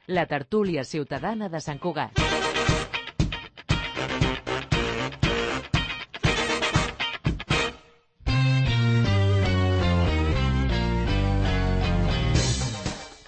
La tertúlia ciutadana de Sant Cugat.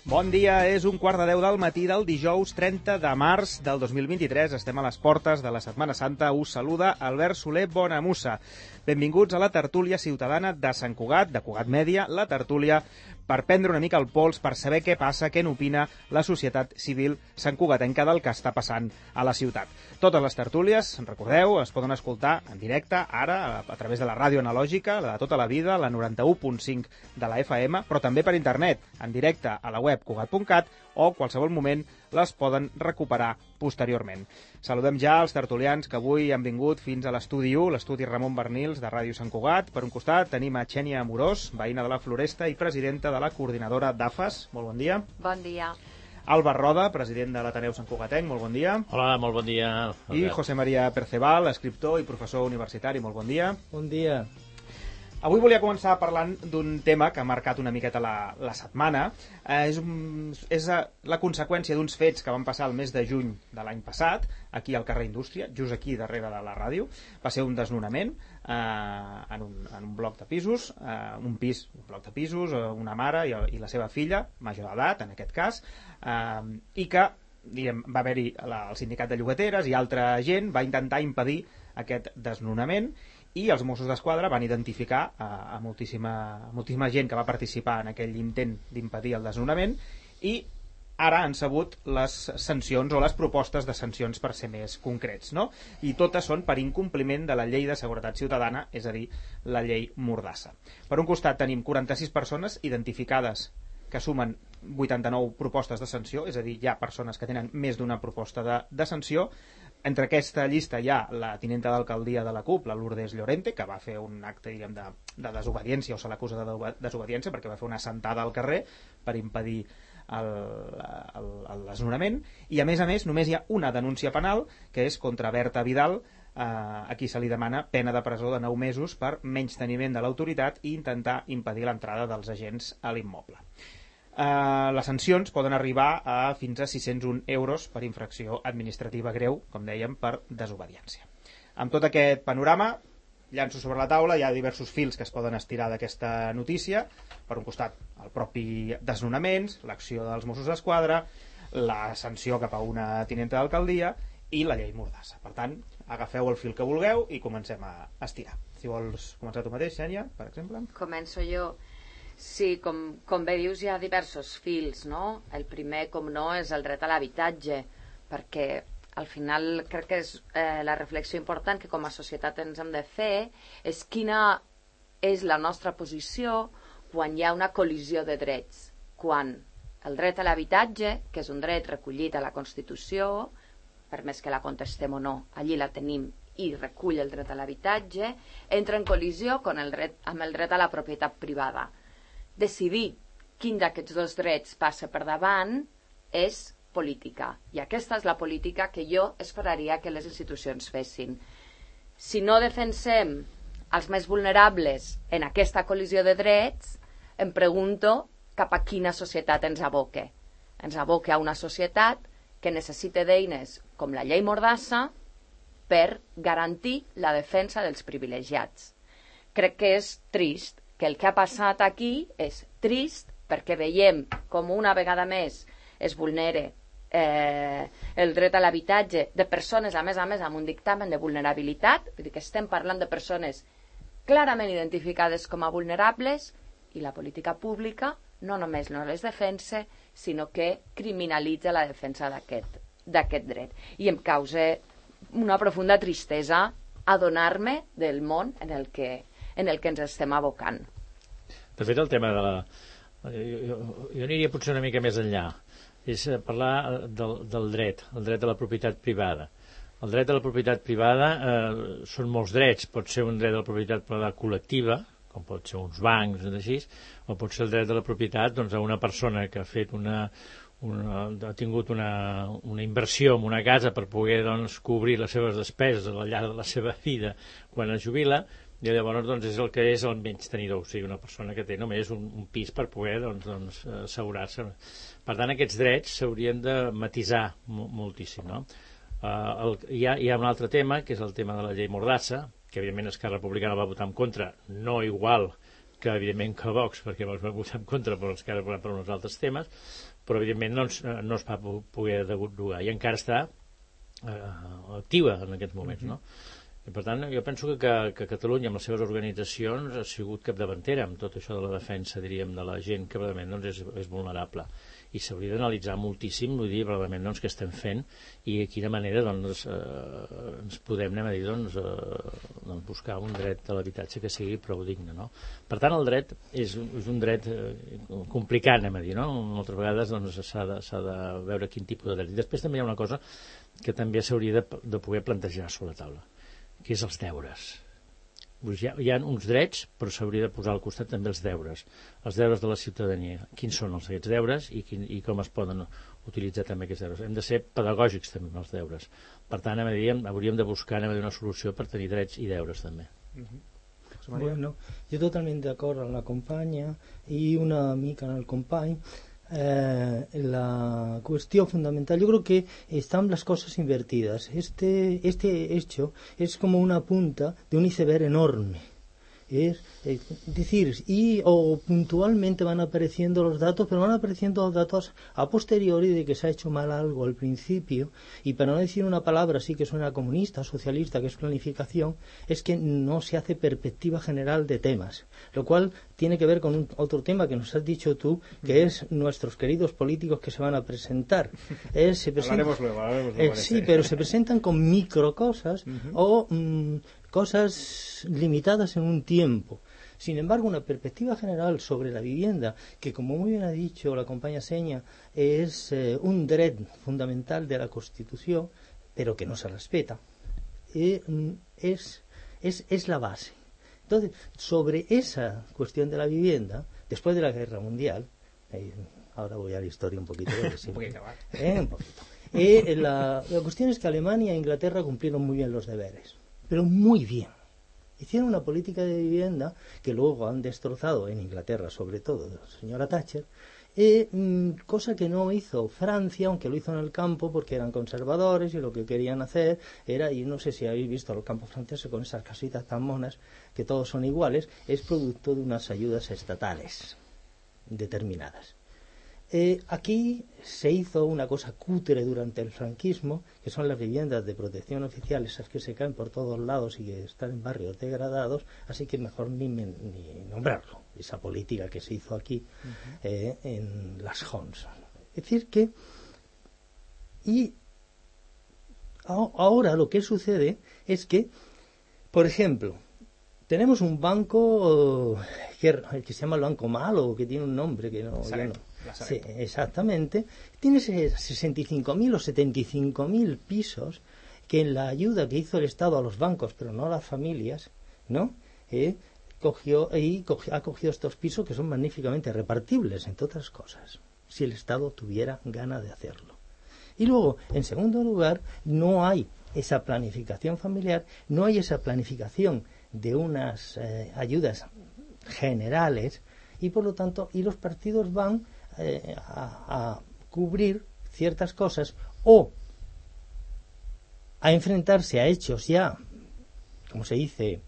Bon dia, és 1:15 del matí del dijous 30 de març del 2023. Estem a les portes de la Setmana Santa. Us saluda Albert Soler Bonamussa. Benvinguts a la tertúlia ciutadana de Sant Cugat, de Cugat Mèdia, la tertúlia per prendre una mica el pols, per saber què passa, què n'opina la societat civil santcugatenca del que està passant a la ciutat. Totes les tertúlies, recordeu, es poden escoltar en directe, ara, a través de la ràdio analògica, la de tota la vida, la 91.5 de la FM, però també per internet, en directe a la web cugat.cat, o qualsevol moment les poden recuperar posteriorment. Saludem ja els tertulians que avui han vingut fins a l'estudi 1, l'estudi Ramon Bernils de Ràdio Sant Cugat. Per un costat tenim a Xènia Amorós, veïna de la Floresta i presidenta de la coordinadora d'AFAS. Molt bon dia. Bon dia. Alba Roda, president de l'Ateneu Sant Cugatenc. Molt bon dia. Hola, molt bon dia. I José María Perceval, escriptor i professor universitari. Molt bon dia. Bon dia. Avui volia començar parlant d'un tema que ha marcat una miqueta la setmana. És la conseqüència d'uns fets que van passar el mes de juny de l'any passat, aquí al carrer Indústria, just aquí darrere de la ràdio. Va ser un desnonament en un bloc de pisos, un bloc de pisos, una mare i la seva filla, major d'edat en aquest cas, i que va haver-hi el sindicat de llogateres i altra gent va intentar impedir aquest desnonament, i els Mossos d'Esquadra van identificar a moltíssima gent que va participar en aquell intent d'impedir el desnonament, i ara han sabut les sancions o les propostes de sancions per ser més concrets, no? I totes són per incompliment de la llei de seguretat ciutadana, és a dir, la llei Mordassa. Per un costat tenim 46 persones identificades que sumen 89 propostes de sanció, és a dir, hi ha persones que tenen més d'una proposta de sanció. Entre aquesta llista hi ha la tinenta d'alcaldia de la CUP, la Lourdes Llorente, que va fer un acte, diguem, de desobediència, o se l'acusa de desobediència, perquè va fer una assentada al carrer per impedir el desnonament. I a més, només hi ha una denúncia penal, que és contra Berta Vidal, a qui se li demana pena de presó de 9 mesos per menysteniment de l'autoritat i intentar impedir l'entrada dels agents a l'immoble. Les sancions poden arribar a fins a 601 euros per infracció administrativa greu, com dèiem, per desobediència. Amb tot aquest panorama, llanço sobre la taula, hi ha diversos fils que es poden estirar d'aquesta notícia. Per un costat, el propi desnonaments, l'acció dels Mossos d'Esquadra, la sanció cap a una tinenta d'alcaldia i la llei Mordassa. Per tant, agafeu el fil que vulgueu i comencem a estirar. Si vols començar tu mateix, Xènia, per exemple. Començo jo. Sí, com bé dius, hi ha diversos fils, no? El primer, com no, és el dret a l'habitatge, perquè al final crec que és la reflexió important que com a societat ens hem de fer és quina és la nostra posició quan hi ha una col·lisió de drets. Quan el dret a l'habitatge, que és un dret recollit a la Constitució, per més que la contestem o no, allí la tenim i recull el dret a l'habitatge, entra en col·lisió amb el dret a la propietat privada. Decidir quin d'aquests dos drets passa per davant és política, i aquesta és la política que jo esperaria que les institucions fessin. Si no defensem els més vulnerables en aquesta col·lisió de drets, em pregunto cap a quina societat ens aboca. Ens aboca a una societat que necessita d'eines com la llei Mordassa per garantir la defensa dels privilegiats. Crec que és trist que el que ha passat aquí és trist perquè veiem com una vegada més es vulnera el dret a l'habitatge de persones, a més, amb un dictamen de vulnerabilitat, vull dir que estem parlant de persones clarament identificades com a vulnerables, i la política pública no només no les defensa, sinó que criminalitza la defensa d'aquest dret. I em causa una profunda tristesa adonar-me del món en el que ens estem abocant. De fet, el tema de la... Jo aniria potser una mica més enllà. És parlar del dret, el dret a la propietat privada. El dret a la propietat privada són molts drets. Pot ser un dret a la propietat privada col·lectiva, com pot ser uns bancs, així, o pot ser el dret a la propietat a una persona que ha fet ha tingut una inversió en una casa per poder cobrir les seves despeses al llarg de la seva vida quan es jubila, I llavors doncs, és el que és el menys tenidor, o sigui, una persona que té només un pis per poder assegurar-se. Per tant, aquests drets s'haurien de matisar moltíssim, no? Hi ha un altre tema, que és el tema de la llei Mordassa, que evidentment Esquerra Republicana va votar en contra, no igual que evidentment que Vox, perquè Vox va votar en contra, però Esquerra Republicana per uns altres temes, però evidentment no es va poder derogar i encara està activa en aquests moments, no? I per tant, jo penso que Catalunya, amb les seves organitzacions, ha sigut capdavantera amb tot això de la defensa, diríem, de la gent que realment doncs, és vulnerable. I s'hauria d'analitzar moltíssim, vull dir, realment, doncs, què estem fent i de quina manera doncs, ens podem, anem a dir, doncs, buscar un dret a l'habitatge que sigui prou digne, no? Per tant, el dret és un dret complicat, anem a dir, no? Moltes vegades doncs, s'ha de veure quin tipus de dret. I després també hi ha una cosa que també s'hauria de poder plantejar sobre la taula, que és els deures. Hi ha uns drets, però s'hauria de posar al costat també els deures de la ciutadania. Quins són aquests deures i com es poden utilitzar també aquests deures. Hem de ser pedagògics també amb els deures. Per tant, hauríem de buscar una solució per tenir drets i deures també. Bueno, jo totalment d'acord amb la companya i una mica en el company. La cuestión fundamental, yo creo que están las cosas invertidas. Este hecho es como una punta de un iceberg enorme. Es decir, o puntualmente van apareciendo los datos, pero van apareciendo los datos a posteriori de que se ha hecho mal algo al principio, y para no decir una palabra así que suena comunista, socialista, que es planificación, es que no se hace perspectiva general de temas, lo cual tiene que ver con otro tema que nos has dicho tú, que es nuestros queridos políticos que se van a presentar. Hablaremos luego. Sí, pero se presentan con microcosas o cosas limitadas en un tiempo. Sin embargo, una perspectiva general sobre la vivienda, que como muy bien ha dicho la compañera Seña, es un dret fundamental de la Constitución, pero que no se respeta, es la base. Entonces, sobre esa cuestión de la vivienda, después de la Guerra Mundial, ahora voy a la historia un poquito. Un poquito. La cuestión es que Alemania e Inglaterra cumplieron muy bien los deberes, pero muy bien. Hicieron una política de vivienda que luego han destrozado en Inglaterra, sobre todo, la señora Thatcher, cosa que no hizo Francia, aunque lo hizo en el campo porque eran conservadores y lo que querían hacer era, y no sé si habéis visto los campos franceses con esas casitas tan monas que todos son iguales, es producto de unas ayudas estatales determinadas. Aquí se hizo una cosa cutre durante el franquismo, que son las viviendas de protección oficial, esas que se caen por todos lados y que están en barrios degradados, así que mejor ni nombrarlo, esa política que se hizo aquí en las Hons. Es decir que, y ahora lo que sucede es que, por ejemplo, tenemos un banco que se llama el Banco Malo, que tiene un nombre que no... Sí, exactamente. Tiene 65.000 o 75.000 pisos que en la ayuda que hizo el Estado a los bancos, pero no a las familias, ¿no? Ha cogido estos pisos que son magníficamente repartibles, entre otras cosas, si el Estado tuviera ganas de hacerlo. Y luego, en segundo lugar, no hay esa planificación familiar, no hay esa planificación de unas ayudas generales, y por lo tanto, y los partidos van a cubrir ciertas cosas o a enfrentarse a hechos ya, como se dice,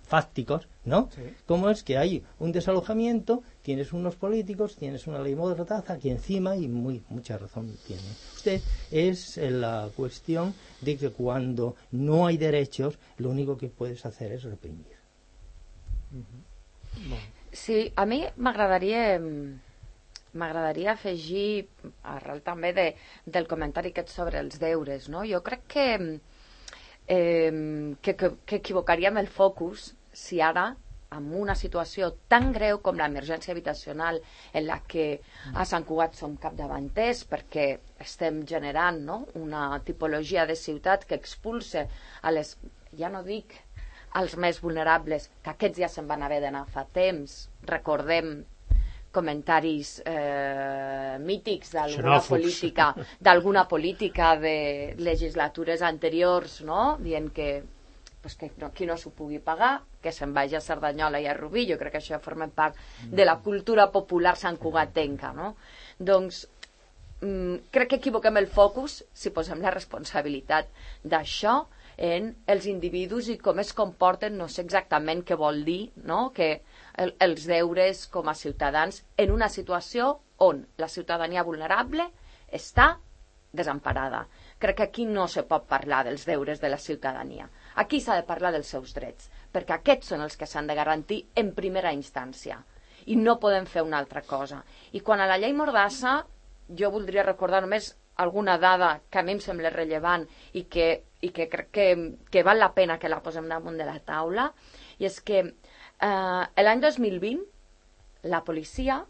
fácticos, ¿no? Sí. Como es que hay un desalojamiento, tienes unos políticos, tienes una ley Mordaza aquí encima, y mucha razón tiene usted, es la cuestión de que cuando no hay derechos, lo único que puedes hacer es reprimir. Sí, a mi m'agradaria afegir, arrel també del comentari aquest sobre els deures, no? Jo crec que equivocaríem el focus si ara, en una situació tan greu com l'emergència habitacional, en la que a Sant Cugat som capdavanters perquè estem generant, no?, una tipologia de ciutat que expulsa a les, ja no dic als més vulnerables, que aquests ja se'n van haver d'anar fa temps. Recordem comentaris mítics d'alguna política de legislatures anteriors, no?, dient que pues que qui no s'ho pugui pagar, que se'n vagi a Cerdanyola i a Rubí. Jo crec que això forma part de la cultura popular santcugatenca, no? Doncs crec que equivoquem el focus si posem la responsabilitat d'això en els individus i com es comporten, no sé exactament què vol dir, no? Que els deures com a ciutadans en una situació on la ciutadania vulnerable està desemparada. Crec que aquí no se pot parlar dels deures de la ciutadania. Aquí s'ha de parlar dels seus drets, perquè aquests són els que s'han de garantir en primera instància. I no podem fer una altra cosa. I quan a la llei Mordassa, jo voldria recordar només alguna dada que a mi em sembla rellevant i que crec que val la pena que la posem damunt de la taula, i és que l'any 2020 la policia,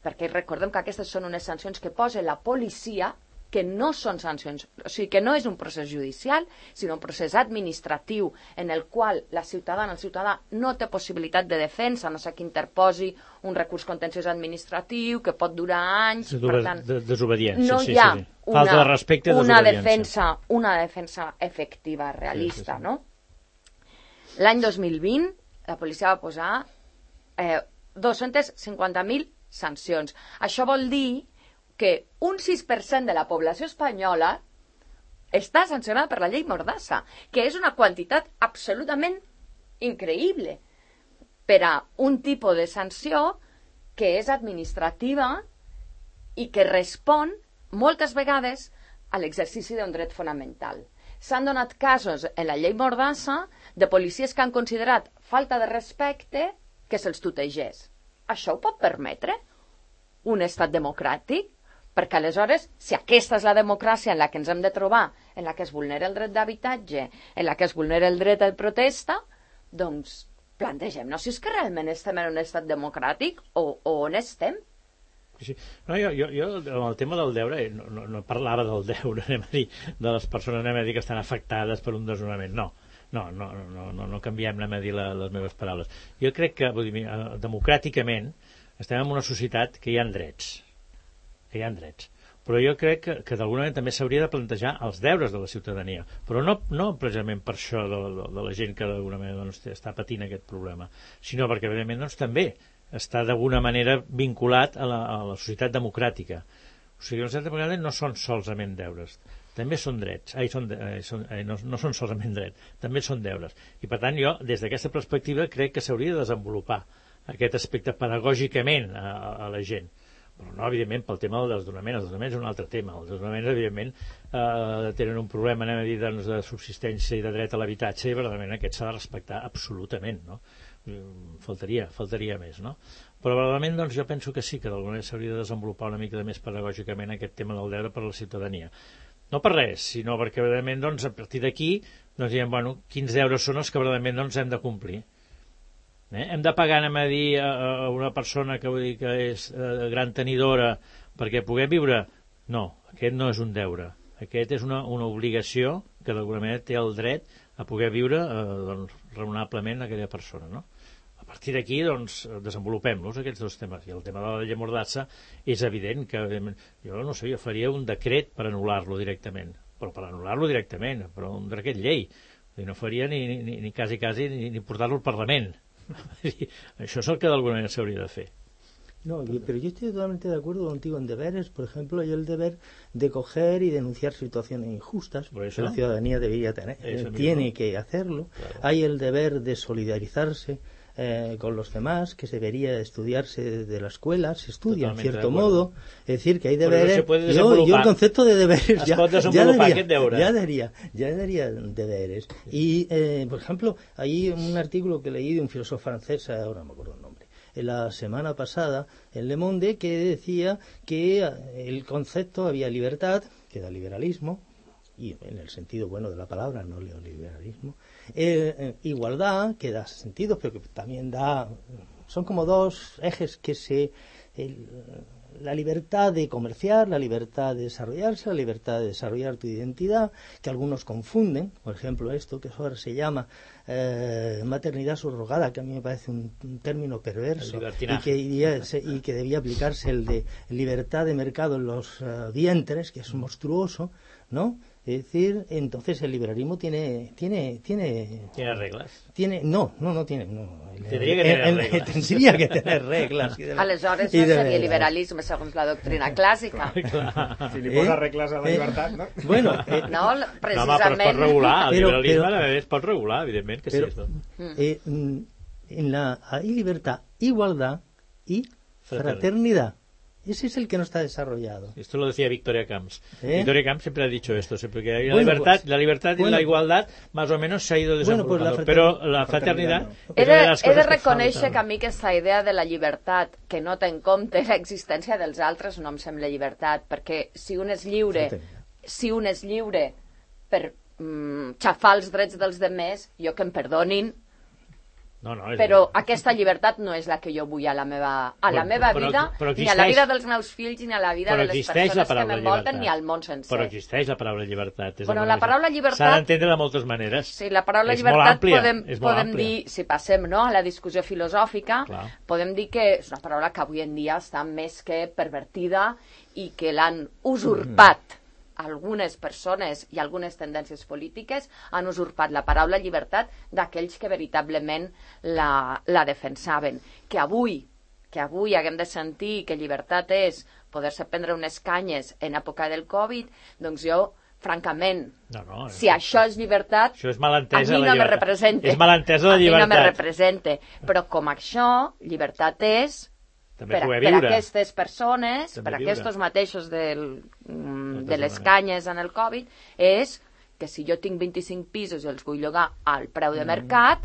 perquè recordem que aquestes són unes sancions que posa la policia, que no són sancions, o sigui que no és un procés judicial, sinó un procés administratiu en el qual la ciutadana, el ciutadà no té possibilitat de defensa, no sé que interposi un recurs contenciós administratiu que pot durar anys, per tant, desobediència, no hi ha falta de respecte, una defensa efectiva, realista, no? L'any 2020 la policia va posar 250.000 sancions. Això vol dir que un 6% de la població espanyola està sancionada per la llei Mordassa, que és una quantitat absolutament increïble per a un tipus de sanció que és administrativa i que respon moltes vegades a l'exercici d'un dret fonamental. S'han donat casos en la llei Mordassa de policies que han considerat falta de respecte que se'ls tutegés. Això ho pot permetre un estat democràtic? Perquè aleshores, si aquesta és la democràcia en la que ens hem de trobar, en la que es vulnera el dret d'habitatge, en la que es vulnera el dret de protesta, doncs plantegem-nos si és que realment estem en un estat democràtic o on estem. Sí. No, jo amb el tema del deure no parlava del deure, de les persones que estan afectades per un desnonament. No canviem les meves paraules. Jo crec que democràticament estem en una societat que hi ha drets, però jo crec que d'alguna manera també s'hauria de plantejar els deures de la ciutadania, però no precisament per això de la gent que d'alguna manera està patint aquest problema, sinó perquè evidentment també està d'alguna manera vinculat a la societat democràtica. O sigui, la societat democràtica no són solament deures, també són drets, no són solament drets, també són deures. I per tant jo, des d'aquesta perspectiva, crec que s'hauria de desenvolupar aquest aspecte pedagògicament a la gent. Però no, evidentment, pel tema del desnonament. El desnonament és un altre tema. Els desnonaments, evidentment, tenen un problema, de subsistència i de dret a l'habitatge, i verdaderament aquest s'ha de respectar absolutament, no? Faltaria més, no? Però verdaderament, doncs, jo penso que sí, que d'alguna manera s'hauria de desenvolupar una mica més pedagògicament aquest tema del deure per a la ciutadania. No per res, sinó perquè, verdaderament, doncs, a partir d'aquí, doncs, diem, bueno, quins deures són els que verdaderament doncs, hem de complir. Hem de pagar, a dir a una persona que és gran tenidora perquè puguem viure? No, aquest no és un deure. Aquest és una obligació que d'alguna manera té el dret a poder viure raonablement aquella persona, no? A partir d'aquí, doncs, desenvolupem-los aquests dos temes. I el tema de la llei Mordassa és evident que jo no sé, jo faria un decret per anul·lar-lo directament, però un decret llei. No faria ni quasi ni portar-lo al Parlament. Això es el que d'alguna manera s'hauria de fer. No, pero yo estoy totalmente de acuerdo contigo en deberes. Por ejemplo, hay el deber de coger y denunciar situaciones injustas, que la ciudadanía debería tener, tiene que hacerlo. Claro. Hay el deber de solidarizarse con los demás, que se debería estudiarse desde la escuela, se estudia en cierto modo, es decir, que hay deberes. Yo el concepto de deberes ya daría deberes. Y, por ejemplo, hay un artículo que leí de un filósofo francés, ahora no me acuerdo el nombre, la semana pasada en Le Monde, que decía que el concepto había libertad, que da liberalismo, y en el sentido bueno de la palabra, no neoliberalismo, igualdad, que da sentido, pero que también da, son como dos ejes que la libertad de comerciar, la libertad de desarrollarse, la libertad de desarrollar tu identidad, que algunos confunden, por ejemplo esto que ahora se llama maternidad subrogada, que a mí me parece un término perverso y que debía aplicarse el de libertad de mercado en los vientres, que es monstruoso, ¿no? Es decir, entonces el liberalismo tiene reglas. No tiene. Tendría que tener reglas. Tendría que tener reglas. Aleshores no seria liberalisme segons la doctrina clàssica. Si li posa regles a la llibertat, no? Bueno, no, precisament... No, però es pot regular. El liberalisme es pot regular, evidentment que sí. Hay libertad, igualdad y fraternidad. Ese es el que no está desarrollado. Esto lo decía Victoria Camps. Victoria Camps siempre ha dicho esto, siempre que hay la libertad y la igualdad más o menos se ha ido desarrollando, pero la fraternidad... He de reconèixer que a mi aquesta idea de la llibertat que no té en compte l'existència dels altres no em sembla llibertat, perquè si un és lliure per xafar els drets dels demés, jo que em perdonin, però aquesta llibertat no és la que jo vull a la meva vida, ni a la vida dels meus fills, ni a la vida de les persones que m'envolten, ni al món sencer. Però existeix la paraula llibertat. La paraula llibertat... S'ha d'entendre de moltes maneres. Sí, la paraula llibertat podem dir, si passem a la discussió filosòfica, podem dir que és una paraula que avui en dia està més que pervertida i que l'han usurpat algunes persones i algunes tendències polítiques han usurpat la paraula llibertat d'aquells que veritablement la defensaven. Que avui haguem de sentir que llibertat és poder-se prendre unes canyes en època del Covid, doncs jo, francament, si això és llibertat, això és malentesa, a mi no me representa. És malentesa la llibertat. A mi no me representa. Però com això, llibertat és... Per aquestes persones, per aquests mateixos de les canyes en el Covid, és que si jo tinc 25 pisos i els vull llogar al preu de mercat,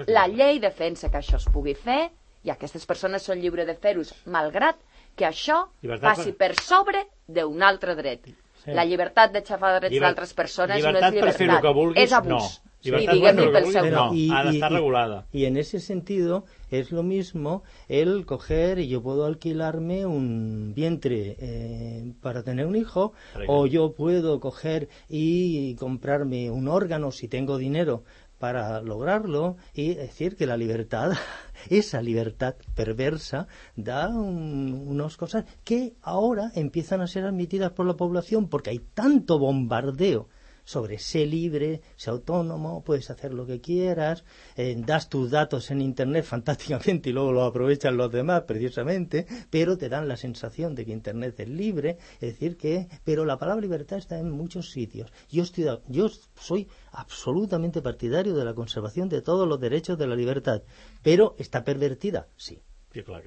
la llei defensa que això es pugui fer i aquestes persones són lliures de fer-ho, malgrat que això passi per sobre d'un altre dret. La llibertat de xafar drets d'altres persones no és llibertat, és abús. Y ha de estar regulada. Y en ese sentido es lo mismo el coger y yo puedo alquilarme un vientre para tener un hijo, o yo puedo coger y comprarme un órgano si tengo dinero para lograrlo, y decir que la libertad, esa libertad perversa, da unas cosas que ahora empiezan a ser admitidas por la población porque hay tanto bombardeo sobre sé libre, sé autónomo, puedes hacer lo que quieras, das tus datos en internet fantásticamente y luego los aprovechan los demás precisamente, pero te dan la sensación de que internet es libre, es decir pero la palabra libertad está en muchos sitios. Yo soy absolutamente partidario de la conservación de todos los derechos de la libertad, pero está pervertida, sí. Sí, clar.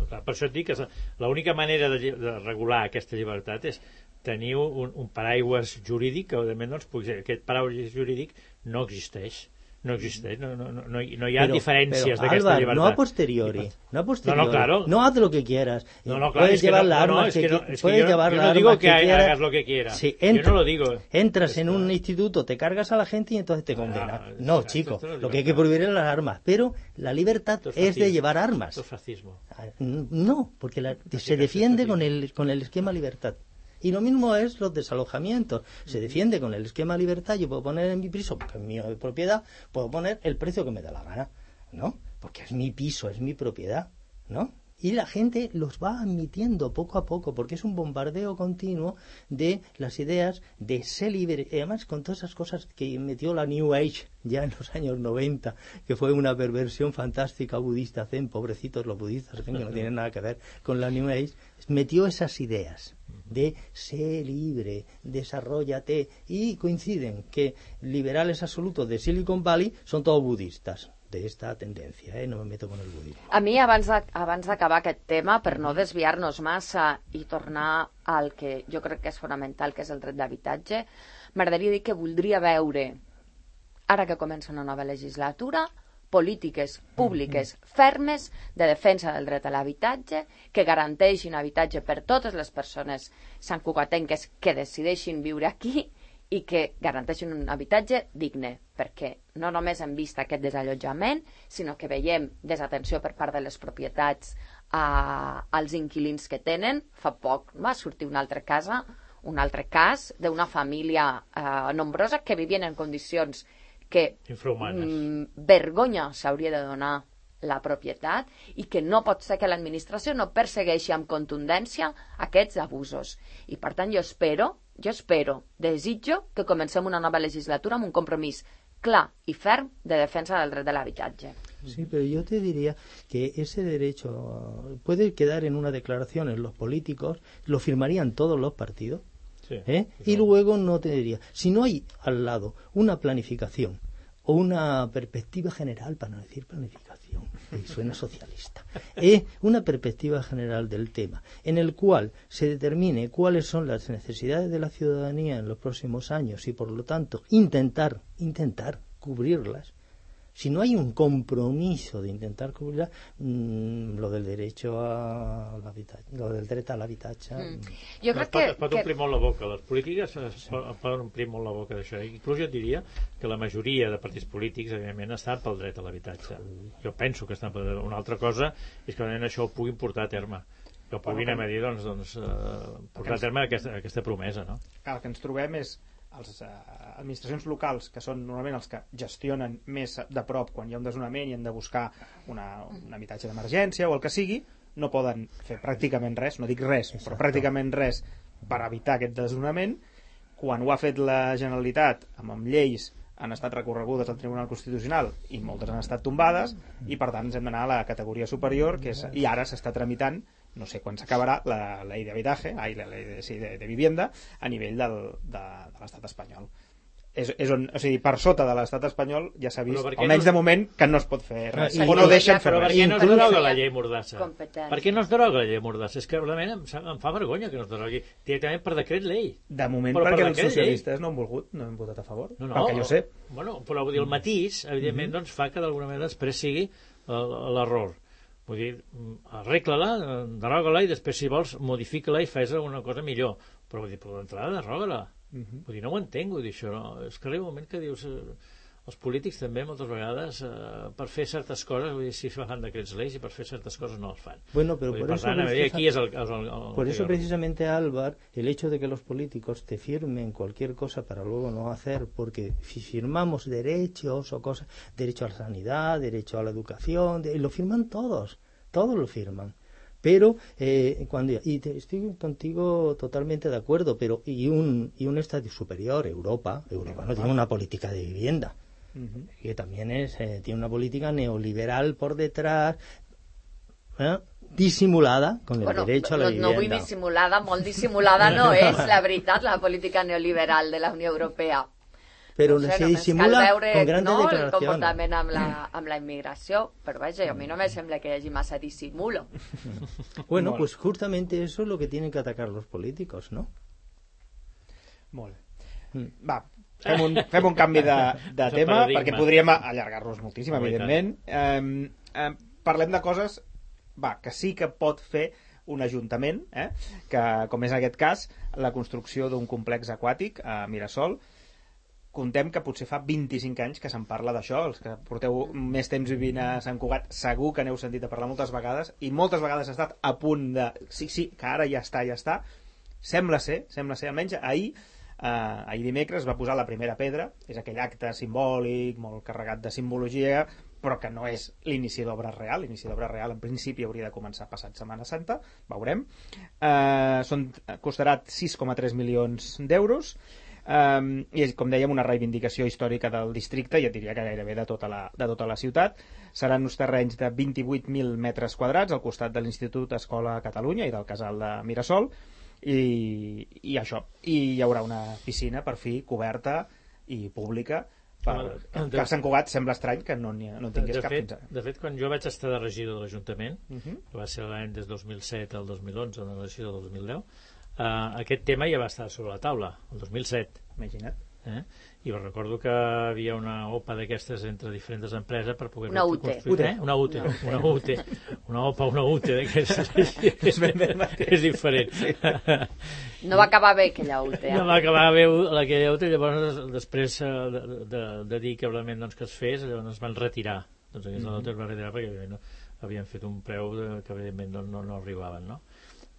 Per això et dic que l'única manera de regular aquesta llibertat és tenir un paraigües jurídic que, doncs, aquest paraigües jurídic no existeix. No hi ha diferències d'aquesta llibertat. No a posteriori. No, claro. No haz lo que quieras. Puedes llevar las armas que quieras. Yo no digo que hagas lo que quieras. Sí, yo no lo digo. Entras en un instituto, te cargas a la gente y entonces te condenan. No, chico. Lo que hay que prohibir es las armas. Pero la libertad es de llevar armas. Esto es fascismo. No, porque se defiende con el esquema libertad. Y lo mismo es los desalojamientos. Se defiende con el esquema libertad. Yo puedo poner en mi piso, porque es mi propiedad, puedo poner el precio que me da la gana, ¿no? Porque es mi piso, es mi propiedad, ¿no? Y la gente los va admitiendo poco a poco, porque es un bombardeo continuo de las ideas de ser libre. Y además, con todas esas cosas que metió la New Age ya en los años 90, que fue una perversión fantástica budista zen, pobrecitos los budistas zen, que no tienen nada que ver con la New Age, metió esas ideas de ser libre, desarróllate, y coinciden que liberales absolutos de Silicon Valley son todos budistas de esta tendencia, no me meto con el budismo. A mi, abans d'acabar aquest tema, per no desviar-nos massa i tornar al que jo crec que és fonamental, que és el dret d'habitatge, m'agradaria dir que voldria veure, ara que comença una nova legislatura, polítiques públiques fermes de defensa del dret a l'habitatge, que garanteixin habitatge per totes les persones santcugatenques que decideixin viure aquí i que garanteixin un habitatge digne, perquè no només hem vist aquest desallotjament, sinó que veiem desatenció per part de les propietats als inquilins que tenen. Fa poc va sortir un altre cas d'una família nombrosa que vivien en condicions que vergonya s'hauria de donar la propietat i que no pot ser que l'administració no persegueixi amb contundència aquests abusos. I per tant jo espero jo espero, desitjo que comencem una nova legislatura amb un compromís clar y ferm de defensa del dret de l'habitatge. Sí, pero yo te diría que ese derecho puede quedar en una declaración en los políticos, lo firmarían todos los partidos, Sí, y luego no te diría, si no hay al lado una planificación o una perspectiva general, para no decir planificación, suena socialista, una perspectiva general del tema, en el cual se determine cuáles son las necesidades de la ciudadanía en los próximos años y por lo tanto intentar cubrirlas. Si no hay un compromiso de intentar cubrirlas, lo del derecho a l'habitatge, lo del dret a l'habitatge... Jo crec Es pot omplir molt la boca, les polítiques poden omplir molt la boca d'això. Inclús jo et diria que la majoria de partits polítics, evidentment, estan pel dret a l'habitatge. Jo penso que estan pel dret. Una altra cosa és que això ho puguin portar a terme, que ho puguin a dir, portar a terme aquesta promesa, no? El que ens trobem és les administracions locals, que són normalment els que gestionen més de prop quan hi ha un desnonament i han de buscar un habitatge d'emergència o el que sigui, no poden fer pràcticament res, no dic res, però pràcticament res per evitar aquest desnonament. Quan ho ha fet la Generalitat amb lleis han estat recorregudes al Tribunal Constitucional i moltes han estat tombades i per tant ens hem d'anar a la categoria superior i ara s'està tramitant, no sé quan s'acabarà, la llei d'habitaje, la llei de vivienda a nivell de l'estat espanyol. O sigui, per sota de l'estat espanyol ja s'ha vist, almenys de moment, que no es pot fer res, o no deixen fer res. Per què no es deroga la llei Mordassa? Per què no es deroga la llei Mordassa? És que realment em fa vergonya que no es derogui directament per decret llei. De moment perquè els socialistes no han volgut, no han votat a favor, perquè jo sé. Bueno, però vull dir, el matís, evidentment, doncs fa que d'alguna manera després sigui l'error. Vull dir, arregla-la, deroga-la i després, si vols, modifica-la i fes alguna cosa millor. Però vull dir, per l'entrada, deroga-la. Vull dir, no ho entenc, vull dir, això. No? És que arriba un moment que dius... els polítics també, moltes vegades, per fer certes coses, vull dir, si fan decrets lleis i per fer certes coses no els fan. Bueno, pero por eso precisamente, Álvaro, el hecho de que los políticos te firmen cualquier cosa para luego no hacer, porque si firmamos derechos o cosas, derecho a la sanidad, derecho a la educación, lo firman todos lo firman. Pero estoy contigo totalmente de acuerdo, pero y un estadio superior, Europa no tiene una política de vivienda, que también tiene una política neoliberal por detrás, disimulada con el derecho a la vivienda. No vull dissimulada, molt dissimulada no és, la veritat, la política neoliberal de la Unió Europea. Però se dissimula con grandes declaraciones. El comportament amb la immigració, però vaja, a mi no me sembla que hi hagi massa dissimulo. Bueno, pues justamente eso es lo que tienen que atacar los políticos, ¿no? Molt bé. Va, fem un canvi de tema, perquè podríem allargar-nos moltíssim, evidentment. Parlem de coses que sí que pot fer un ajuntament, que, com és en aquest cas, la construcció d'un complex aquàtic a Mirasol. Contem que potser fa 25 anys que se'n parla d'això, els que porteu més temps vivint a Sant Cugat segur que n'heu sentit a parlar moltes vegades, i moltes vegades ha estat a punt de sí, que ara ja està. Sembla ser, almenys ahir dimecres va posar la primera pedra, és aquell acte simbòlic, molt carregat de simbologia, però que no és l'inici d'obra real. L'inici d'obra real en principi hauria de començar passat Setmana Santa, veurem. Costarà 6,3 milions d'euros, i com dèiem, una reivindicació històrica del districte, ja diria que gairebé de tota la ciutat. Seran uns terrenys de 28.000 metres quadrats al costat de l'Institut Escola Catalunya i del Casal de Mirasol, i això, i hi haurà una piscina per fi coberta i pública, que a Sant Cugat sembla estrany que no tingués cap fins ara. De fet, quan jo vaig estar de regidor de l'Ajuntament, que va ser l'any des 2007 al 2011, de regidor del 2010, aquest tema ja va estar sobre la taula el 2007. Imagina't. I recordo que hi havia una OPA d'aquestes entre diferents empreses per poder una UT. Una OPA, una UT és diferent. No va acabar bé aquella UT. No va acabar bé aquella UT, llavors després de dir que realment que es fes, llavors es van retirar. Doncs aquesta UT es va retirar perquè havien fet un preu que evidentment no arribaven, no?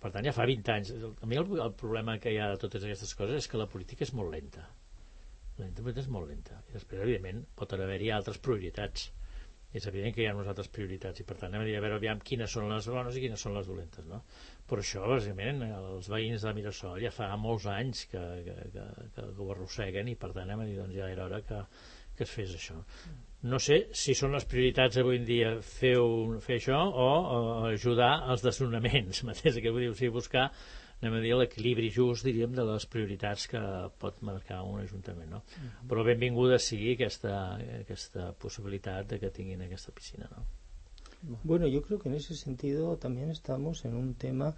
Per tant, ja fa 20 anys. A mi el problema que hi ha de totes aquestes coses és que la política és molt lenta. La política és molt lenta. I després, evidentment, pot haver-hi altres prioritats. és evident que hi ha unes altres prioritats i per tant hem de dir, a veure, aviam quines són les bones i quines són les dolentes, no? Per això, bàsicament, els veïns de Mirasol ja fa molts anys que ho arrosseguen i per tant hem de dir, doncs ja era hora que es fes això. No sé si són les prioritats avui en dia fer això o ajudar als desnonaments, mateix que vull dir, o sigui, buscar, anem a dir, l'equilibri just, diríem, de les prioritats que pot marcar un ajuntament, no? Però benvinguda sigui aquesta possibilitat de que tinguin aquesta piscina, no? Bueno, yo creo que en ese sentido también estamos en un tema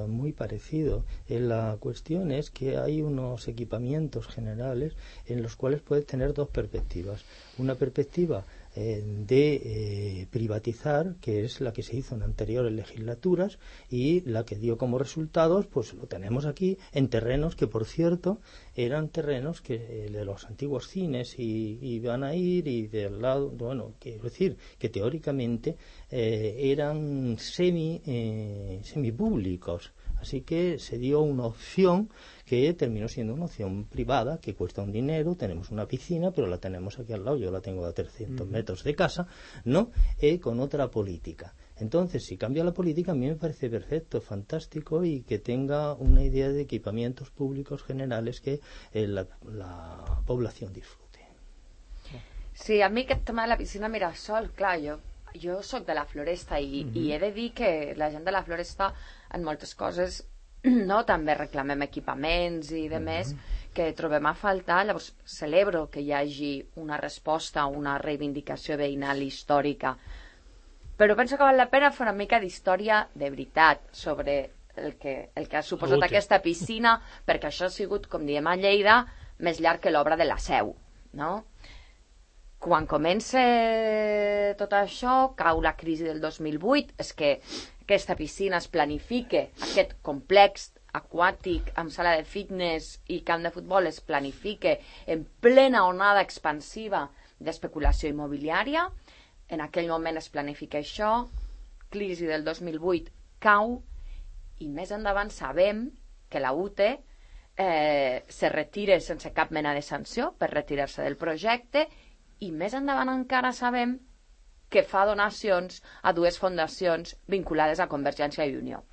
muy parecido. La cuestión es que hay unos equipamientos generales en los cuales puedes tener dos perspectivas. Una perspectiva de privatizar, que es la que se hizo en anteriores legislaturas y la que dio como resultados, pues lo tenemos aquí en terrenos que, por cierto, eran terrenos que de los antiguos cines y van a ir y del lado, bueno, quiero decir que teóricamente eran semipúblicos. Así que se dio una opción que terminó siendo una opción privada, que cuesta un dinero, tenemos una piscina, pero la tenemos aquí al lado, yo la tengo a 300 metros de casa, ¿no? Con otra política. Entonces, si cambia la política, a mí me parece perfecto, fantástico, y que tenga una idea de equipamientos públicos generales que la población disfrute. Sí, a mi aquest tema de la piscina Mirasol, clar, jo soc de la Floresta i he de dir que la gent de la Floresta en moltes coses no també reclamem equipaments i de més que trobem a faltar. Llavors celebro que hi hagi una resposta, una reivindicació veïnal històrica, però penso que val la pena fer una mica d'història de veritat sobre el que ha suposat aquesta piscina, perquè això ha sigut, com diem a Lleida, més llarg que l'obra de la Seu, no? Quan comença tot això, cau la crisi del 2008, és que aquesta piscina es planifica, aquest complex aquàtic amb sala de fitness i camp de futbol es planifica en plena onada expansiva d'especulació immobiliària. En aquell moment es planifica això, crisi del 2008 cau, i més endavant sabem que la UTE se retira sense cap mena de sanció per retirar-se del projecte, i més endavant encara sabem que fa donacions a dues fundacions vinculades a Convergència i Unió.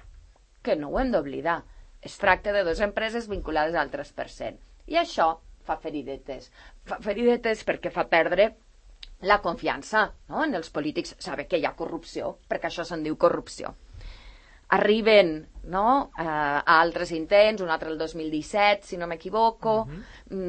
Que no ho hem d'oblidar. Es tracta de dues empreses vinculades al 3%. I això fa feridetes. Fa feridetes perquè fa perdre la confiança, no? En els polítics. Saber que hi ha corrupció, perquè això se'n diu corrupció. Arriben, no, a altres intents, un altre el 2017, si no m'equivoco,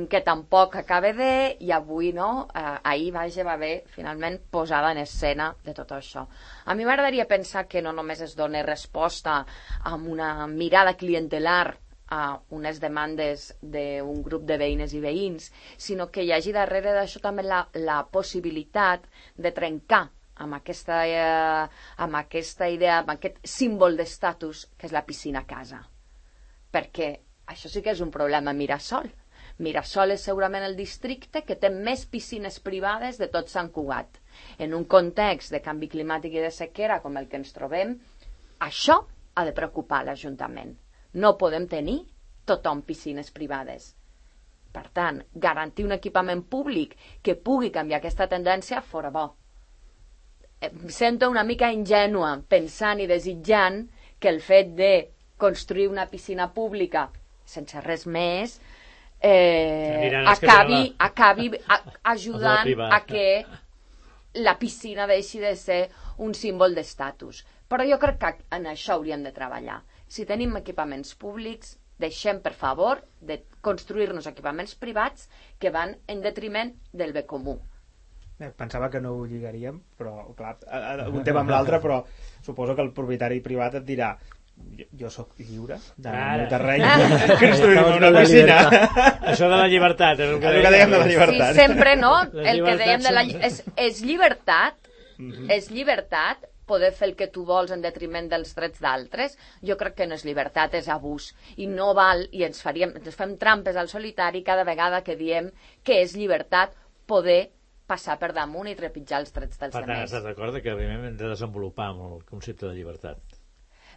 que tampoc acaba de, i avui, no, ahir va haver finalment posada en escena de tot això. A mi m'agradaria pensar que no només es dona resposta amb una mirada clientelar a unes demandes d'un grup de veïnes i veïns, sinó que hi hagi darrere d'això també la possibilitat de trencar amb aquesta idea, amb aquest símbol d'estatus que és la piscina a casa. Perquè això sí que és un problema a Mirasol. Mirasol és segurament el districte que té més piscines privades de tot Sant Cugat. En un context de canvi climàtic i de sequera com el que ens trobem, això ha de preocupar l'Ajuntament. No podem tenir tothom piscines privades. Per tant, garantir un equipament públic que pugui canviar aquesta tendència fora bo. Em sento una mica ingènua pensant i desitjant que el fet de construir una piscina pública sense res més acabi ajudant a que la piscina deixi de ser un símbol d'estatus. Però jo crec que en això hauríem de treballar. Si tenim equipaments públics, deixem, per favor, de construir-nos equipaments privats que van en detriment del bé comú. Pensava que no ho lligaríem, però clar, un tema amb l'altre, però suposo que el propietari privat et dirà jo sóc lliure d'anar al terreny construir-me una piscina. Això de la llibertat és el que dèiem de la llibertat. Sí, sempre, no? El que dèiem de la és llibertat, és llibertat poder fer el que tu vols en detriment dels drets d'altres. Jo crec que no és llibertat, és abús, i no val, i ens fem trampes al solitari cada vegada que diem que és llibertat poder passar per damunt i trepitjar els drets dels altres. Per tant, estàs d'acord que primer hem de desenvolupar el concepte de llibertat?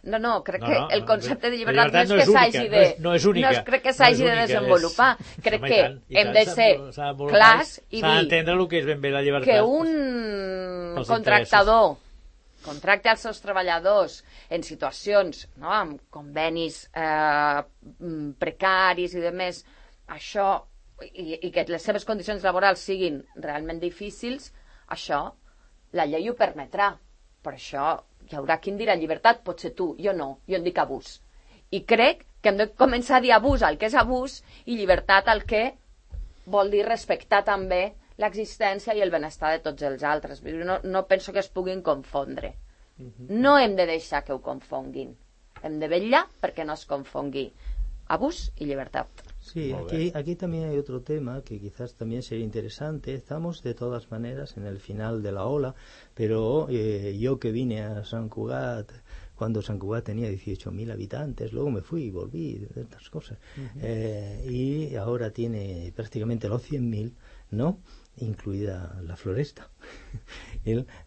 No, crec que el concepte de llibertat no és que s'hagi de... No és única. No crec que s'hagi de desenvolupar. Crec que hem de ser clars i dir s'ha d'entendre el que és ben bé la llibertat. Que un contractador contracta els seus treballadors en situacions, no?, amb convenis precaris i demés, això, i que les seves condicions laborals siguin realment difícils, això la llei ho permetrà. Per això hi haurà qui en dirà llibertat, potser tu, jo no, jo en dic abús. I crec que hem de començar a dir abús al que és abús i llibertat al que vol dir respectar també l'existència i el benestar de tots els altres. No penso que es puguin confondre. No hem de deixar que ho confonguin. Hem de vetllar perquè no es confongui abús y libertad. Sí, aquí también hay otro tema que quizás también sería interesante. Estamos de todas maneras en el final de la ola, pero yo que vine a Sant Cugat cuando Sant Cugat tenía 18.000 habitantes, luego me fui y volví, de estas cosas, y ahora tiene prácticamente los 100.000, ¿no?, incluida la Floresta.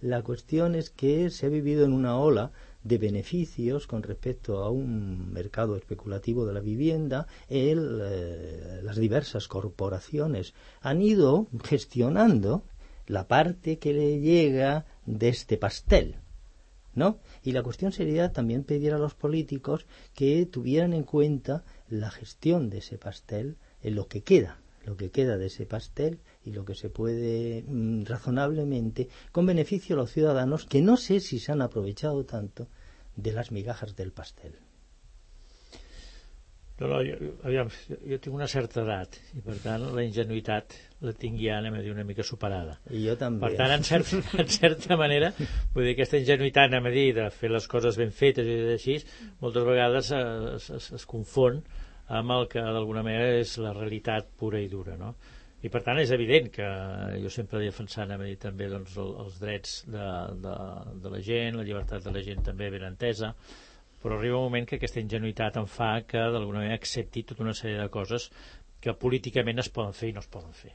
La cuestión es que se ha vivido en una ola de beneficios con respecto a un mercado especulativo de la vivienda. Las diversas corporaciones han ido gestionando la parte que le llega de este pastel, ¿no? Y la cuestión sería también pedir a los políticos que tuvieran en cuenta la gestión de ese pastel en lo que queda de ese pastel y lo que se puede razonablemente, con beneficio a los ciudadanos, que no sé si se han aprovechado tanto de las migajas del pastel. No, jo tinc una certa edat i per tant la ingenuïtat la tinc ja, anem a dir, una mica superada. I jo també. Per tant, en certa manera, vull dir, aquesta ingenuïtat, anem a dir, de fer les coses ben fetes i així, moltes vegades es confon amb el que d'alguna manera és la realitat pura i dura, no? I per tant és evident que jo sempre he defensat, anem a dir, també doncs, els drets de la gent, la llibertat de la gent també ben entesa, però arriba un moment que aquesta ingenuïtat em fa que d'alguna manera accepti tota una sèrie de coses que políticament es poden fer i no es poden fer.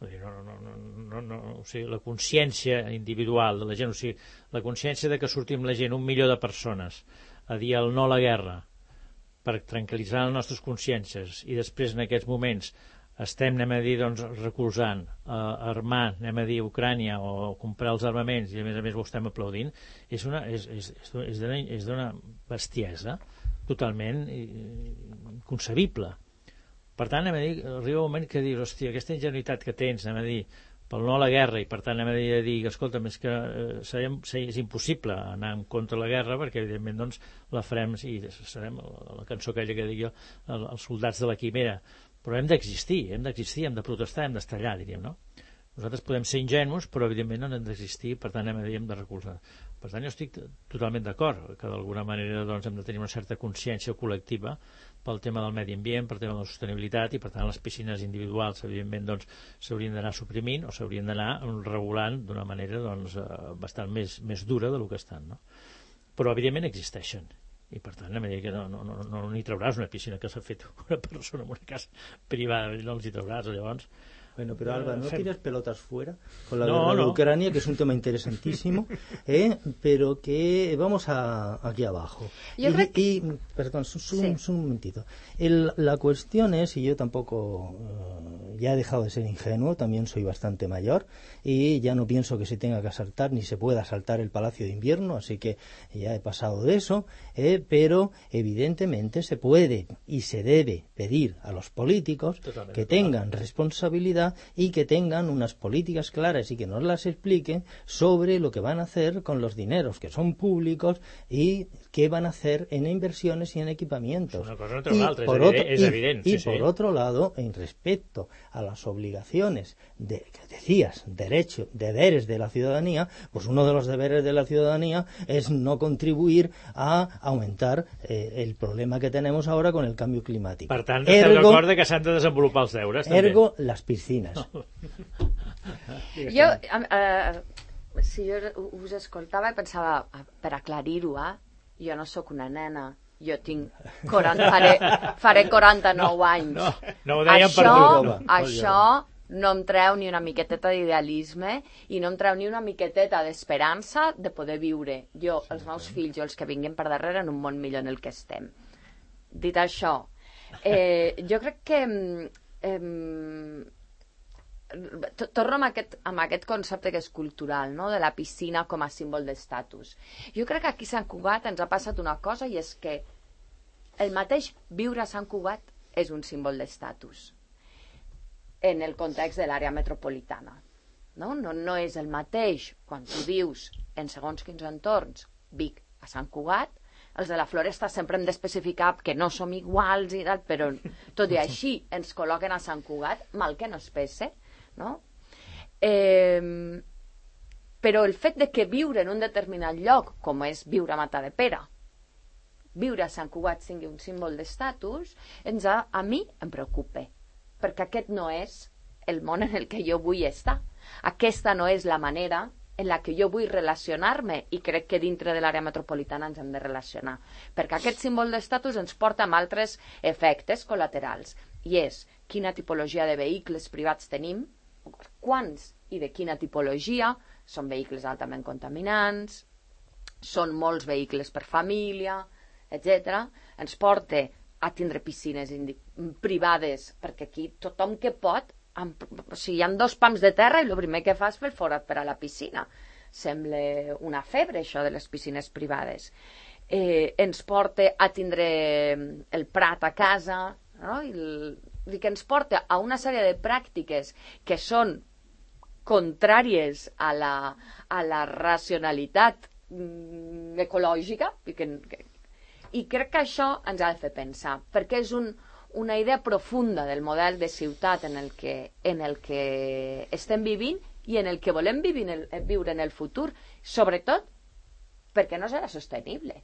Vull dir, o sigui, la consciència individual de la gent, o sigui, la consciència de que sortim la gent, 1 milió de persones, a dir el no a la guerra per tranquil·litzar les nostres consciències i després en aquests moments estem, anem a dir, doncs, recolzant, armant, anem a dir, Ucrània o comprar els armaments i a més ho estem aplaudint, és d'una bestiesa totalment inconcebible. Per tant, anem a dir, arriba un moment que dius, hòstia, aquesta ingenuïtat que tens, anem a dir, pel no a la guerra, i per tant anem a dir, escolta, és que és impossible anar en contra de la guerra perquè evidentment doncs la farem, i serem la cançó aquella que dic jo, els soldats de la quimera, però hem d'existir, hem de protestar, hem d'estar allà, diríem, no? Nosaltres podem ser ingenus, però evidentment no hem d'existir, per tant hem de recolzar. Per tant jo estic totalment d'acord que d'alguna manera doncs, hem de tenir una certa consciència col·lectiva pel tema del medi ambient, pel tema de la sostenibilitat, i per tant les piscines individuals evidentment doncs, s'haurien d'anar suprimint o s'haurien d'anar regulant d'una manera doncs, bastant més dura del que estan, no? Però evidentment existeixen. I per tant, a dir que no n'hi trauràs una piscina que s'ha fet una persona en una casa privada, no els hi trauràs, llavors. Bueno, pero Alba, no tires pelotas fuera con la guerra de Ucrania, que es un tema interesantísimo, pero que vamos aquí abajo. Perdón, un momentito. La cuestión es, y yo tampoco ya he dejado de ser ingenuo, también soy bastante mayor, y ya no pienso que se tenga que asaltar ni se pueda asaltar el Palacio de Invierno, así que ya he pasado de eso, pero evidentemente se puede y se debe pedir a los políticos que tengan responsabilidad y que tengan unas políticas claras y que nos las expliquen sobre lo que van a hacer con los dineros que son públicos y qué van a hacer en inversiones y en equipamientos. Por otro lado, en respecto a las obligaciones que decías, deberes de la ciudadanía, pues uno de los deberes de la ciudadanía es no contribuir a aumentar el problema que tenemos ahora con el cambio climático. Per tant, estem d'acord que s'han de desenvolupar els deures, també. Ergo, las piscinas. Si jo us escoltava i pensava, per aclarir-ho, jo no sóc una nena, jo tinc faré 49 anys. No ho dèiem per tu. Això no em treu ni una miqueteta d'idealisme i no em treu ni una miqueteta d'esperança de poder viure jo, els meus fills o els que vinguin per darrere en un món millor en el que estem. Dit això, jo crec que torno amb aquest concepte que és cultural, no? De la piscina com a símbol d'estatus. Jo crec que aquí a Sant Cugat ens ha passat una cosa, i és que el mateix viure a Sant Cugat és un símbol d'estatus en el context de l'àrea metropolitana. No és el mateix quan tu vius en segons quins entorns Vic a Sant Cugat. Els de la Floresta sempre hem d'especificar que no som iguals i tal, però tot i així ens col·loquen a Sant Cugat, mal que no es pese, no? Però el fet de que viure en un determinat lloc, com és viure a Matadepera, viure a Sant Cugat sigui un símbol d'estatus, a mi em preocupa, perquè aquest no és el món en el que jo vull estar. Aquesta no és la manera en la que jo vull relacionar-me, i crec que dintre de l'àrea metropolitana ens hem de relacionar, perquè aquest símbol d'estatus ens porta amb altres efectes col·laterals, i és quina tipologia de vehicles privats tenim, quants i de quina tipologia, són vehicles altament contaminants, són molts vehicles per família, etc. Ens porta a tindre piscines privades, perquè aquí tothom que pot, o sigui, hi ha 2 pams de terra i el primer que fa és fer el forat per a la piscina. Sembla una febre, això de les piscines privades. Ens porta a tindre el prat a casa, no? Que ens porta a una sèrie de pràctiques que són contràries a la racionalitat ecològica, i crec que això ens ha de fer pensar, perquè és una idea profunda del model de ciutat en el que estem vivint i en el que volem viure en el futur, sobretot perquè no serà sostenible,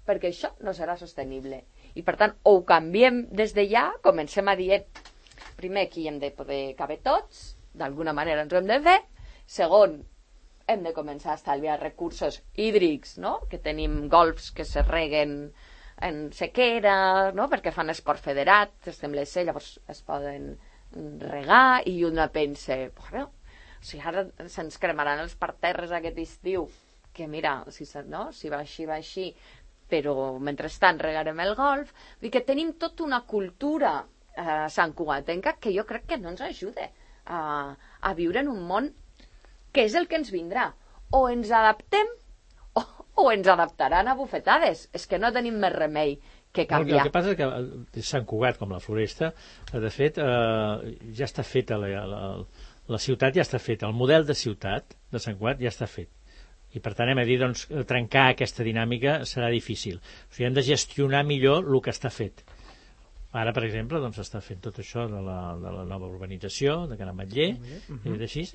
perquè això no serà sostenible, i per tant o ho canviem des de ja, comencem a dir primer que hi hem de poder caber tots, d'alguna manera ens ho hem de fer, segon, hem de començar a estalviar recursos hídrics, no? Que tenim golfs que se reguen en sequera, no? Perquè fan esport federat, sembla ser, llavors es poden regar, i una pensa, bueno, si ara se'ns cremaran els parterres aquest estiu, que mira, si va així, però mentrestant regarem el golf. Vull dir que tenim tota una cultura santcugatenca que jo crec que no ens ajuda a viure en un món que és el que ens vindrà. O ens adaptem o ens adaptaran a bufetades. És que no tenim més remei que canviar. El que passa és que Sant Cugat, com la Floresta, de fet, ja està feta, la ciutat ja està feta, el model de ciutat de Sant Cugat ja està fet. I per tant hem de dir, doncs, trencar aquesta dinàmica serà difícil. O sigui, hem de gestionar millor el que està fet. Ara, per exemple, doncs està fent tot això de la nova urbanització, de Can Ametller,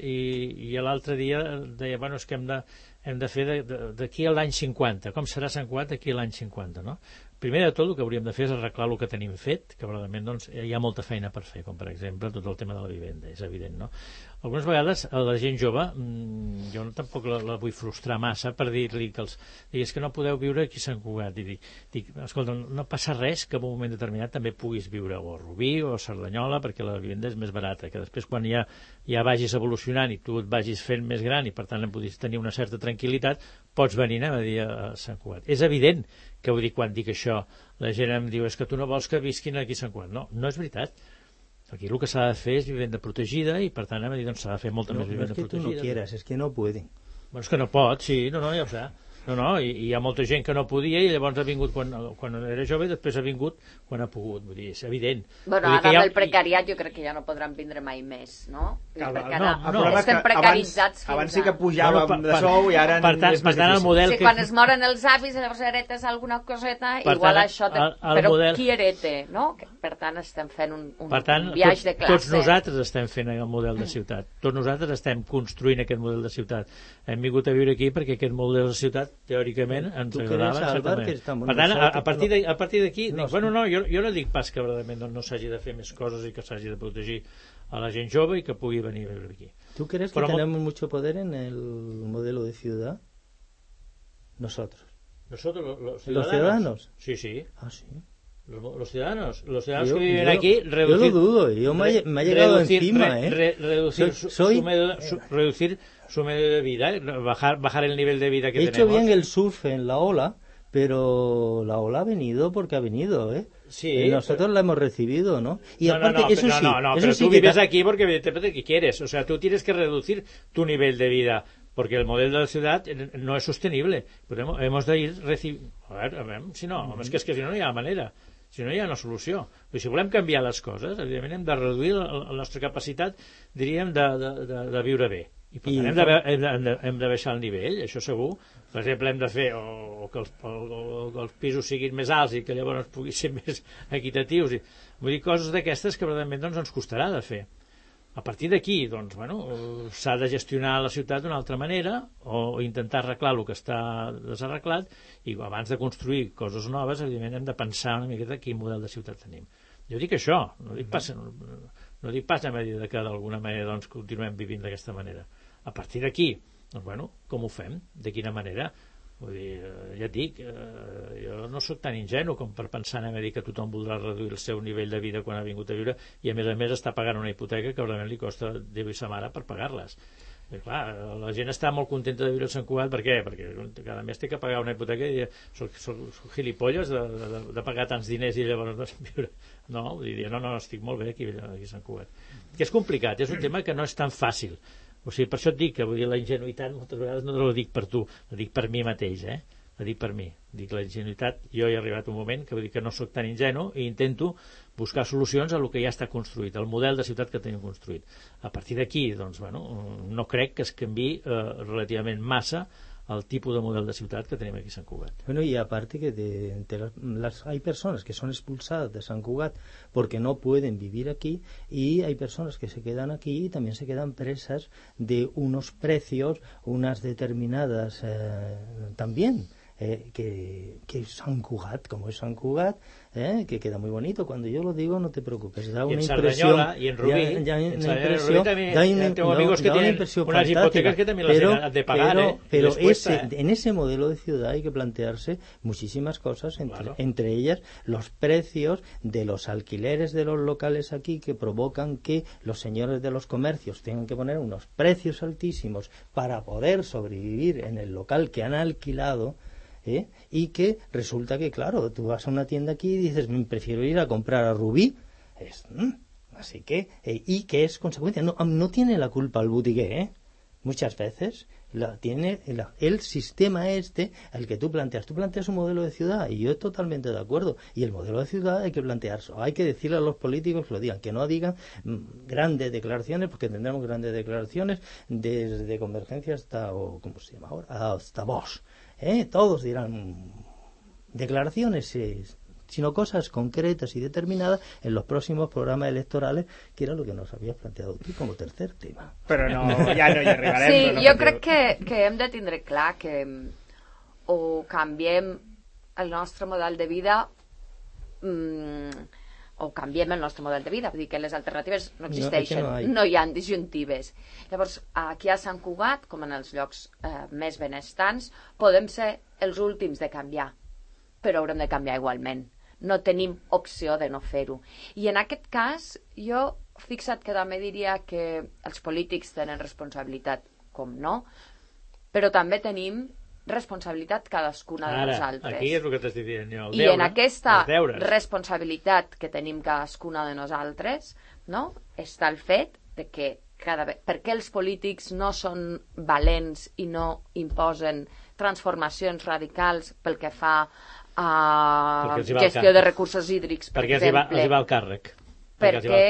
i l'altre dia deia, bueno, és que hem de fer d'aquí a l'any 50. Com serà Sant Cugat d'aquí a l'any 50, no? Primer de tot, el que hauríem de fer és arreglar el que tenim fet, que probablement doncs, hi ha molta feina per fer, com per exemple tot el tema de la vivenda, és evident, no? Algunes vegades a la gent jove, jo tampoc la vull frustrar massa per dir-li que digues que no podeu viure aquí a Sant Cugat, i dic, escolta, no passa res que en un moment determinat també puguis viure o a Rubí o a Cerdanyola, perquè la vivenda és més barata, que després quan ja vagis evolucionant i tu et vagis fent més gran i per tant en podis tenir una certa tranquil·litat, pots venir a dir a Sant Cugat. És evident que ho dic quan dic això, la gent em diu, és que tu no vols que visquin aquí a Sant Cugat. No, no és veritat. Aquí el que s'ha de fer és vivenda protegida i per tant hem de dir, doncs s'ha de fer molta més vivenda protegida. No, es que tu no quieras, es que no pueden. Bueno, és que no pot, sí, no, ja ho sé. No, i hi ha molta gent que no podia i llavors ha vingut quan era jove i després ha vingut quan ha pogut, vull dir, és evident. Bueno, ara amb el precariat jo crec que ja no podran vindre mai més, no? Perquè ara estem precaritzats fins abans sí que pujàvem de sou i ara és més difícil. Si quan es moren els avis llavors heretes alguna coseta, igual això, però qui herete, no? Per tant estem fent un viatge de classe. Tots nosaltres estem fent el model de ciutat, tots nosaltres estem construint aquest model de ciutat. Hem vingut a viure aquí perquè aquest model de ciutat teòricament ens agradava exactament. Per tant, a partir d'aquí bueno, no, jo no dic pas que verdaderament no s'hagi de fer més coses i que s'hagi de protegir a la gent jove i que pugui venir a viure aquí. ¿Tú crees que tenemos mucho poder en el modelo de ciudad? Nosotros los ciudadanos. Sí. Ah, sí. Los ciudadanos que viven aquí, reducir, yo lo dudo, me ha llegado encima, reducir su medio de vida, bajar el nivel de vida que tenemos. He hecho bien el surf en la ola, pero la ola ha venido porque ha venido, Sí, nosotros la hemos recibido, ¿no? Y no, aparte, eso sí, pero tú vives aquí porque evidentemente que quieres, o sea, tú tienes que reducir tu nivel de vida porque el modelo de la ciudad no es sostenible. Pero hemos de ir a veure, si no, és que si no hi ha manera, si no hi ha una solució. Però si volem canviar les coses, evidentment hem de reduir la nostra capacitat, diríem, de viure bé. I per tant hem de baixar el nivell, això segur. Per exemple, hem de fer o que els pisos siguin més alts i que llavors puguin ser més equitatius. Vull dir, coses d'aquestes que realment ens costarà de fer. A partir d'aquí, doncs, s'ha de gestionar la ciutat d'una altra manera o intentar arreglar el que està desarreglat i abans de construir coses noves, evidentment, hem de pensar una miqueta quin model de ciutat tenim. Jo dic això, no dic pas a mesura que d'alguna manera doncs, continuem vivint d'aquesta manera. A partir d'aquí, doncs, com ho fem? De quina manera? Vull dir, ja et dic, jo no sóc tan ingenu com per pensar a dir que tothom voldrà reduir el seu nivell de vida quan ha vingut a viure i a més està pagant una hipoteca que realment li costa Déu i sa mare per pagar-les. I clar, la gent està molt contenta de viure a Sant Cugat. Per què? Perquè cada mes té que pagar una hipoteca i soc gilipolles de pagar tants diners i llavors viure. No, vull dir, no, estic molt bé aquí a Sant Cugat. Que és complicat, és un tema que no és tan fàcil. O sigui, per això et dic que vull dir, la ingenuïtat moltes vegades no la dic per tu, la dic per mi mateix, la dic per mi. Dic la ingenuïtat, jo he arribat un moment que vull dir que no sóc tan ingenu i intento buscar solucions a el que ja està construït, al model de ciutat que tenim construït. A partir d'aquí, doncs, no crec que es canviï relativament massa el tipo de modelo de ciudad que tenemos aquí en Sant Cugat. Bueno, y aparte que hay personas que son expulsadas de Sant Cugat porque no pueden vivir aquí, y hay personas que se quedan aquí y también se quedan presas de unos precios, unas determinadas también que Sant Cugat, como es Sant Cugat, que queda muy bonito. Cuando yo lo digo, no te preocupes, da una impresión. Y en Rubí, tengo amigos que tienen unas hipotecas que también las han de pagar. Pero en ese modelo de ciudad hay que plantearse muchísimas cosas, entre ellas los precios de los alquileres de los locales aquí, que provocan que los señores de los comercios tengan que poner unos precios altísimos para poder sobrevivir en el local que han alquilado. Y que resulta que, claro, tú vas a una tienda aquí y dices, prefiero ir a comprar a Rubí. Así que, y que es consecuencia. No tiene la culpa el boutique, muchas veces la tiene el sistema el que tú planteas. Tú planteas un modelo de ciudad y yo estoy totalmente de acuerdo. Y el modelo de ciudad hay que plantearlo. Hay que decirle a los políticos que lo digan, que no digan grandes declaraciones, porque tendremos grandes declaraciones desde Convergencia hasta, o ¿cómo se llama ahora? Hasta Vox. Todos dirán declaraciones, sino cosas concretas y determinadas en los próximos programas electorales, que era lo que nos habías planteado tú como tercer tema. Però ja no hi arribarem. Sí, jo crec que hem de tindre clar que o canviem el nostre model de vida o canviem el nostre model de vida, vull dir que les alternatives no existeixen, no hi ha disjuntives. Llavors, aquí a Sant Cugat, com en els llocs més benestants, podem ser els últims de canviar, però haurem de canviar igualment. No tenim opció de no fer-ho. I en aquest cas, jo, fixa't que també diria que els polítics tenen responsabilitat, com no, però també tenim responsabilitat cadascuna de nosaltres. Aquí és el que t'estic dient jo. I en aquesta responsabilitat que tenim cadascuna de nosaltres, no, està el fet de que per què els polítics no són valents i no imposen transformacions radicals pel que fa a gestió de recursos hídrics, per exemple. Perquè els hi va el càrrec. Perquè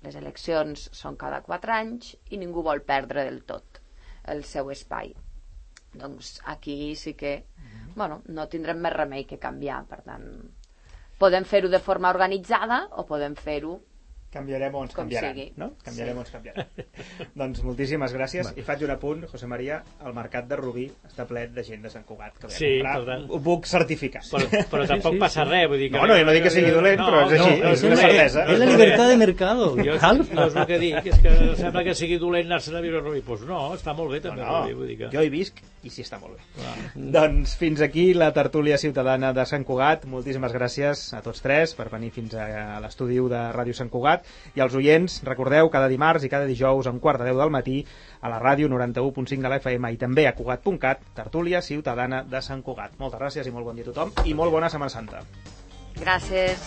les eleccions són cada 4 anys i ningú vol perdre del tot el seu espai. Doncs aquí sí que no tindrem més remei que canviar. Per tant, podem fer-ho de forma organitzada o podem fer-ho canviarem o ens canviaran, no? Canviarem o ens canviaran. Doncs moltíssimes gràcies. I faig un apunt, José María, el mercat de Rubí està ple de gent de Sant Cugat que ve a comprar. Ho puc certificar. Però tampoc passa res. Vull dir que jo no dic que sigui dolent, però és així, és una certesa. És la llibertat de mercado. Jo és el que dic, és que sembla que sigui dolent anar-se'n a viure a Rubí. Doncs no, està molt bé també Rubí. Jo hi visc i sí està molt bé. Doncs fins aquí la tertúlia ciutadana de Sant Cugat. Moltíssimes gràcies a tots tres per venir fins a l'estudi de Ràdio Sant Cugat. I als oients, recordeu, cada dimarts i cada dijous a 9:45 del matí a la ràdio 91.5 de la FM i també a Cugat.cat, tertúlia ciutadana de Sant Cugat. Moltes gràcies i molt bon dia a tothom i molt bona Setmana Santa. Gràcies.